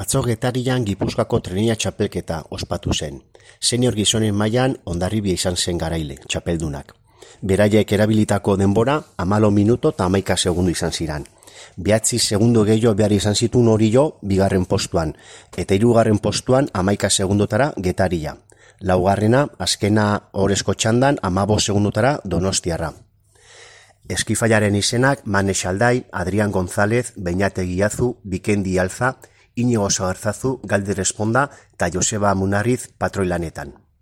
Atzo Getarian Gipuzkoako trenia txapelketa ospatu zen. Senior gizonen mailan Hondarribia izan zen garaile, txapeldunak. Beraiek erabilitako denbora 14 minuto eta 11 segundu izan ziran. 9 segundo gehiago behar izan zituen Orio bigarren postuan, eta 3. postuan 11 segundotara Getaria. Laugarrena, azkena orezko txandan 15 segundotara Donostiarra. Eskifaiaren izenak Mane Xaldai, Adrián González, Beñate Guiazu, Bikendi Alza, Inigo Sagarzazu, Galder Esponda eta Joseba Munarriz patroi lanetan.